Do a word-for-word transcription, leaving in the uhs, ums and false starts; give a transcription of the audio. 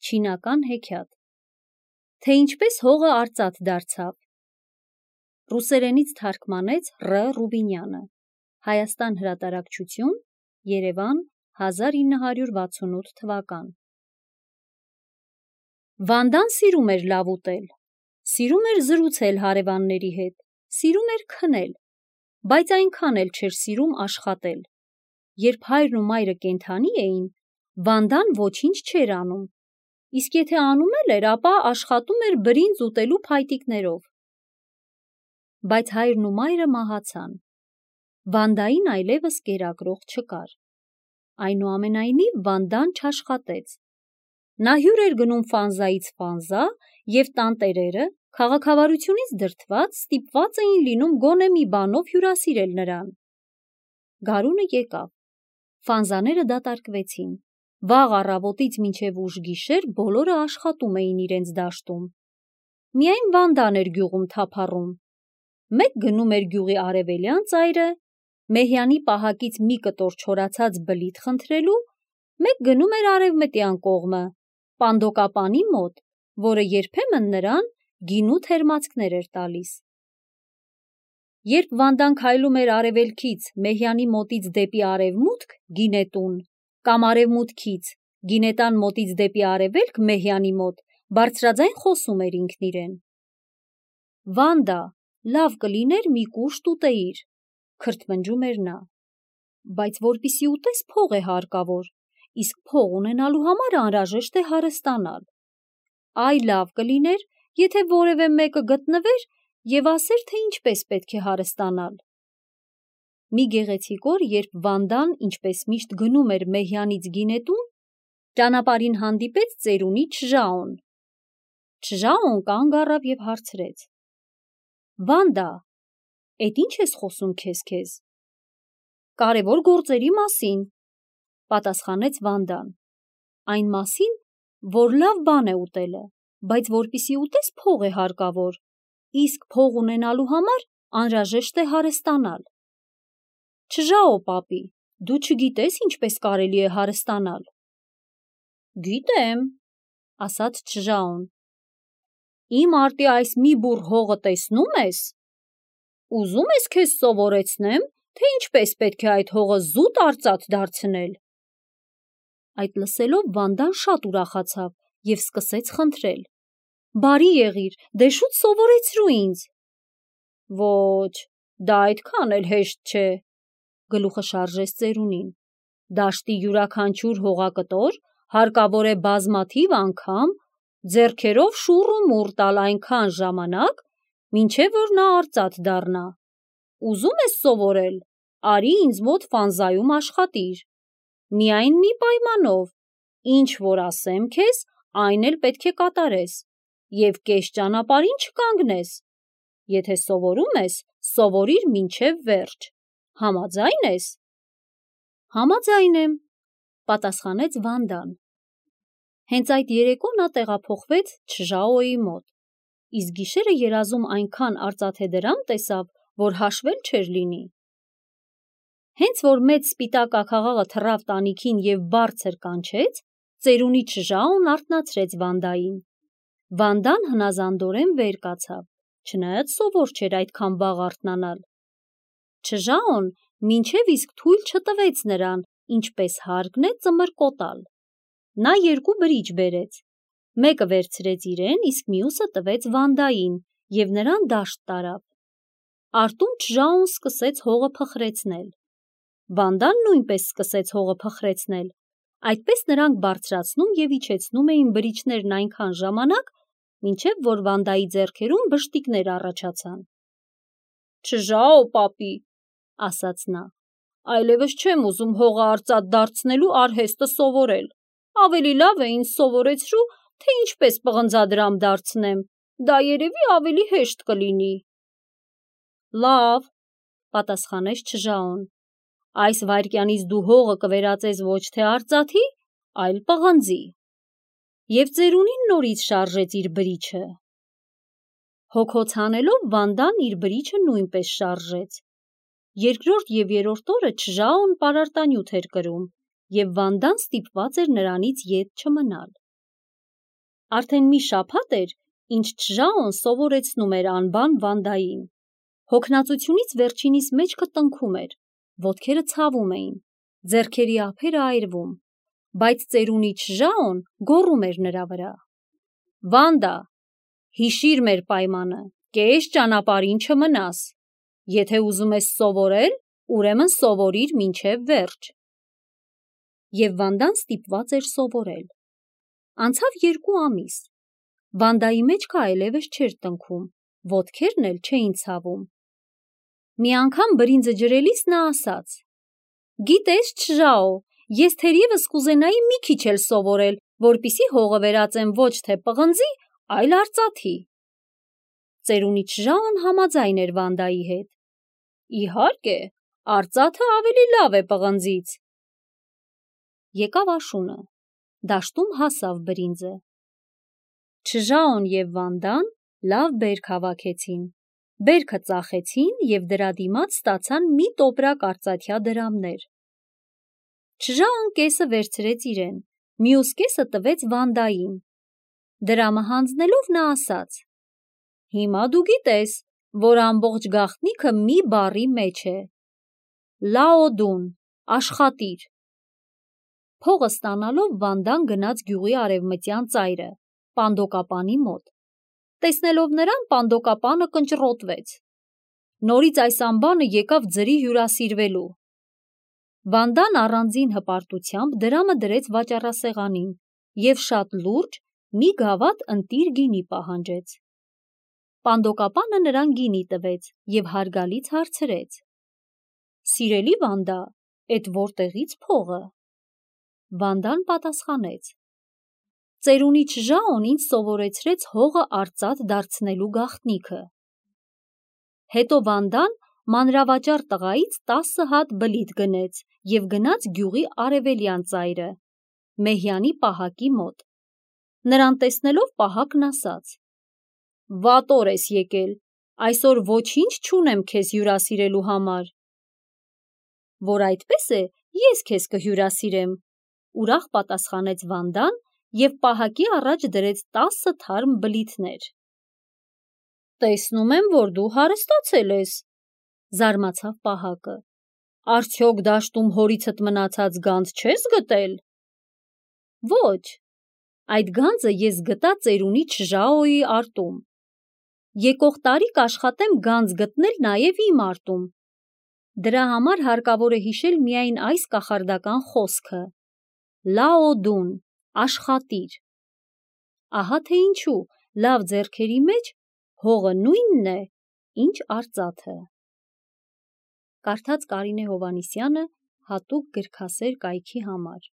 Չինական հեքիաթ։ Թե ինչպես հողը արծաթ դարձավ։ Ռուսերենից թարգմանեց Ռ. Ռուբինյանը։ Հայաստան հրատարակչություն, Երևան, հազար ինը հարյուր վաթսունութ թվական։ Վանդան սիրում էր լավ ուտել, սիրում էր զրուցել հարևանների հետ, սիրում էր քնել, բայց այնքան էլ չէր սիրում աշխատել։ Երբ հայրն ու մայրը կենդանի էին, Վանդան ոչինչ չէր անում, իսկ եթե անում էլ էր, ապա աշխատում էր բրինձ ուտելու փայտիկներով։ Բայց հայրն ու մայրը մահացան։ Վանդային այլևս կերակրող չկար։ Այնուամենայնիվ Վանդան չաշխատեց։ Նա հյուր էր գնում Ֆանզայից Ֆանզա, և տանտերերը, քաղաքավարությունից դրդված, ստիպված էին լինում գոնե մի բանով հյուրասիրել նրան։ Գարունը եկավ։ Ֆանզաները դատարկվեցին։ Վաղ առավոտից մինչև ուշ գիշեր բոլորը աշխատում էին իրենց դաշտում։ Միայն Վանդան էր գյուղում թափառում։ Մեկ գնում էր գյուղի արևելյան ծայրը, Մեհյանի պահակից մի կտոր չորացած բլիթ խնդրելու, մեկ գնում էր արևմտյան կողմը, Պանդոկապանի մոտ, որը երբեմն նրան գինու թերմացքներ էր տալիս։ Երբ Վանդան քայլում էր արևելքից Մեհյանի մոտից դեպի արևմուտք գինետուն, կամ արևմուտքից գինետան մոտից դեպի արևելք Մեհյանի մոտ, բարձրաձայն խոսում էր ինքն իրեն. «Վանդա, լավ կլիներ մի կուշտ ուտեիր», քրթմնջում էր նա։ «Բայց որպեսզի ուտես, փող է հարկավոր, իսկ փող ունենալու համար անհրաժեշտ է հարստանալ։ Այ լավ կլիներ, եթե որևէ մեկը գտնվեր և ասեր, թե ինչպես պետք է հարստանալ»։ Մի գեղեցիկ օր, երբ Վանդան, ինչպես միշտ, գնում էր Մեհյանից գինետուն, ճանապարհին հանդիպեց ծերունի Չժաոն։ Չժաոն կանգ առավ և հարցրեց. «Վանդա, էդ ի՞նչ ես խոսում քեզ-քեզ»։ «Կարևոր գործերի մասին», պատասխանեց Վանդան։ «Այն մասին, որ լավ բան է ուտելը, բայց որպեսզի ուտես, փող է հարկավոր, իսկ փող ունենալու համար անհրաժեշտ է հարստանալ»։ «Չժաո պապի, դու չգիտես ինչպես կարելի է հարստանալ»։ «Գիտեմ», ասաց Չժաոն։ «Իմ արտի այս մի բուռ հողը տեսնո՞ւմ ես։ Ուզում ես քեզ սովորեցնեմ, թե ինչպես պետք է այդ հողը զուտ արծաթ դարձնել»։ Այդ լսելով Վանդան շատ ուրախացավ և սկսեց խնդրել. «Բարի եղիր, դե շուտ սովորեցրու ինձ»։ «Ոչ, դա այդքան էլ հեշտ չէ», գլուխը շարժեց ծերունին։ «Դաշտի յուրաքանչյուր հողակտոր հարկավոր է բազմաթիվ անգամ ձեռքերով շուռ ու մուռ տալ այնքան ժամանակ, մինչև որ նա արծաթ դառնա։ Ուզում ես սովորել, արի ինձ մոտ Ֆանզայում աշխատիր։ Միայն մի պայմանով, ինչ որ ասեմ քեզ, այն էլ պետք է կատարես, և կես ճանապարհին չկանգնես։ Եթե սովորում ես, սովորիր մինչև վերջ։ Համաձայն ես»։ «Համաձայն եմ», պատասխանեց Վանդան։ Հենց այդ երեկո նա տեղափոխվեց Չժաոյի մոտ, իսկ գիշերը երազում այնքան արծաթեդրամ տեսավ, որ հաշվել չէր լինի։ Հենց որ մեծ սպիտակ աքաղաղը թռավ տանիքին և բարձր կանչեց, ծերունի Չժաոն արթնացրեց Վանդային։ Վանդան հնազանդորեն վեր կացավ, չնայած սովոր չէր այդքան վաղ արթնանալ։ Չժաոն մինչև իսկ թույլ չտվեց նրան, ինչպես հարկն է, ծմր կոտալ։ Նա երկու բրիջ բերեց, մեկը վերցրեց իրեն, իսկ մյուսը տվեց Վանդային և նրան դաշտ տարավ։ Արտում Չժաոն սկսեց հողը փխրեցնել։ Վանդան նույնպես սկսեց հողը փխրեցնել։ Այդպես նրանք բարձրացնում և իջեցնում էին բրիչներն այնքան ժամանակ, մինչև որ Վանդայի ձեռքերում բշտիկներ առաջացան։ «Չժաո պապի», ասաց նա, «այլևս չեմ ուզում հողը արծաթ դարձնելու արհեստը սովորել։ Ավելի լավ է ինձ սովորեցրու, թե ինչպես պղնձադրամ դարձնեմ, դա երևի ավելի հեշտ կլինի»։ «Լավ», պատասխանեց Չժաոն, «այս վայրկյանից դու հողը կվերածես ոչ թե արծաթի, այլ պղնձի»։ Եվ ծերունին նորից շարժեց իր բրիչը։ Հոգոց հանելով Վանդան իր բրիչը նույնպես շարժեց։ Երկրորդ և երրորդ օրը Չժաոն պարարտանյութ էր կրում, և Վանդան ստիպված էր նրանից ետ չմնալ։ Արդեն մի շաբաթ էր, ինչ Չժաոն սովորեցնում էր անբան Վանդային։ Հոգնածությունից վերջինիս մեջքը տնքում էր, ոտքերը ցավում էին, ձեռքերի ափերը այրվում, բայց ծերունի Չժաոն գոռում էր նրա վրա. «Վանդա, հիշիր մեր պայմանը, կես ճանապարհին չմնաս։ Եթե ուզում ես սովորել, ուրեմն սովորիր մինչև վերջ»։ Եվ Վանդան ստիպված էր սովորել։ Անցավ երկու ամիս։ Վանդայի մեջքը այլևս չէր տնքում, ոտքերն էլ չէին ցավում։ Մի անգամ բրինձը ջրելիս նա ասաց. «Գիտես, Չժաո, ես թերևս կուզենայի մի քիչ էլ սովորել, որպեսզի հողը վերածեմ ոչ թե պղնձի, այլ արծաթի»։ Ծերունի Չժաոն համաձայն էր Վանդայի հետ։ «Իհարկե, արծաթը ավելի լավ է պղնձից»։ Եկավ աշունը, դաշտում հասավ բրինձը։ Չժաոն և Վանդան լավ բերք հավաքեցին, բերքը ծախեցին և դրա դիմաց ստացան մի տոպրակ արծաթյա դրամներ։ Չժաոն կեսը վերցրեց իրեն, մյուս կեսը տվեց Վանդային։ Դրամը հանձնելով նա ասաց. «Հիմա դու գիտես, որ ամբողջ գաղտնիքը մի բառի մեջ է. Լաոդուն, աշխատիր»։ Փողը ստանալով Վանդան գնաց գյուղի արևմտյան ծայրը, Պանդոկապանի մոտ։ Տեսնելով նրան, Պանդոկապանը կնճռոտվեց։ Նորից այս ամբանը եկավ ձրի հյուրասիրվելու։ Վանդան առանձին հպարտությամբ դրամը դրեց վաճառասեղանին և շատ լուրջ մի գավաթ ընտիր գինի պահանջեց։ Պանդոկապանը նրան գինի տվեց և հարգալից հարցրեց. «Սիրելի Վանդա, էդ որտեղի՞ց փողը»։ Վանդան պատասխանեց. «Ծերունի Չժաոն ինձ սովորեցրեց հողը արծաթ դարձնելու գաղտնիքը»։ Հետո Վանդան մանրավաճառ տղայից տասը հատ բլիթ գնեց և գնաց գյուղի արևելյան ծայրը, Մեհյանի պահակի մոտ։ Նրան տեսնելով պահակն ասաց. «Վատ օր ես եկել, այսօր ոչինչ չունեմ քեզ հյուրասիրելու համար»։ «Որ այդպես է, ես քեզ կհյուրասիրեմ», ուրախ պատասխանեց Վանդան և պահակի առաջ դրեց տասը թարմ բլիթներ։ «Տեսնում եմ, որ դու հարստացել ես», զարմացավ պահակը։ «Արդյոք դաշտում հորիցդ մնացած գանձ չես գտել»։ «Ոչ, այդ գանձը ես գտա ծերունի Չժաոյի արտում։ Եկող տարի կաշխատեմ գանձ գտնել նաև իմ արտում։ Դրա համար հարկավոր է հիշել միայն այս կախարդական խոսքը. Լաոդուն, աշխատիր։ Ահա թե ինչու լավ ձեռքերի մեջ հողը նույնն է, ինչ արծաթը»։ Կարդաց Կարինե Հովհաննիսյանը հատուկ գրքասեր կայքի համար։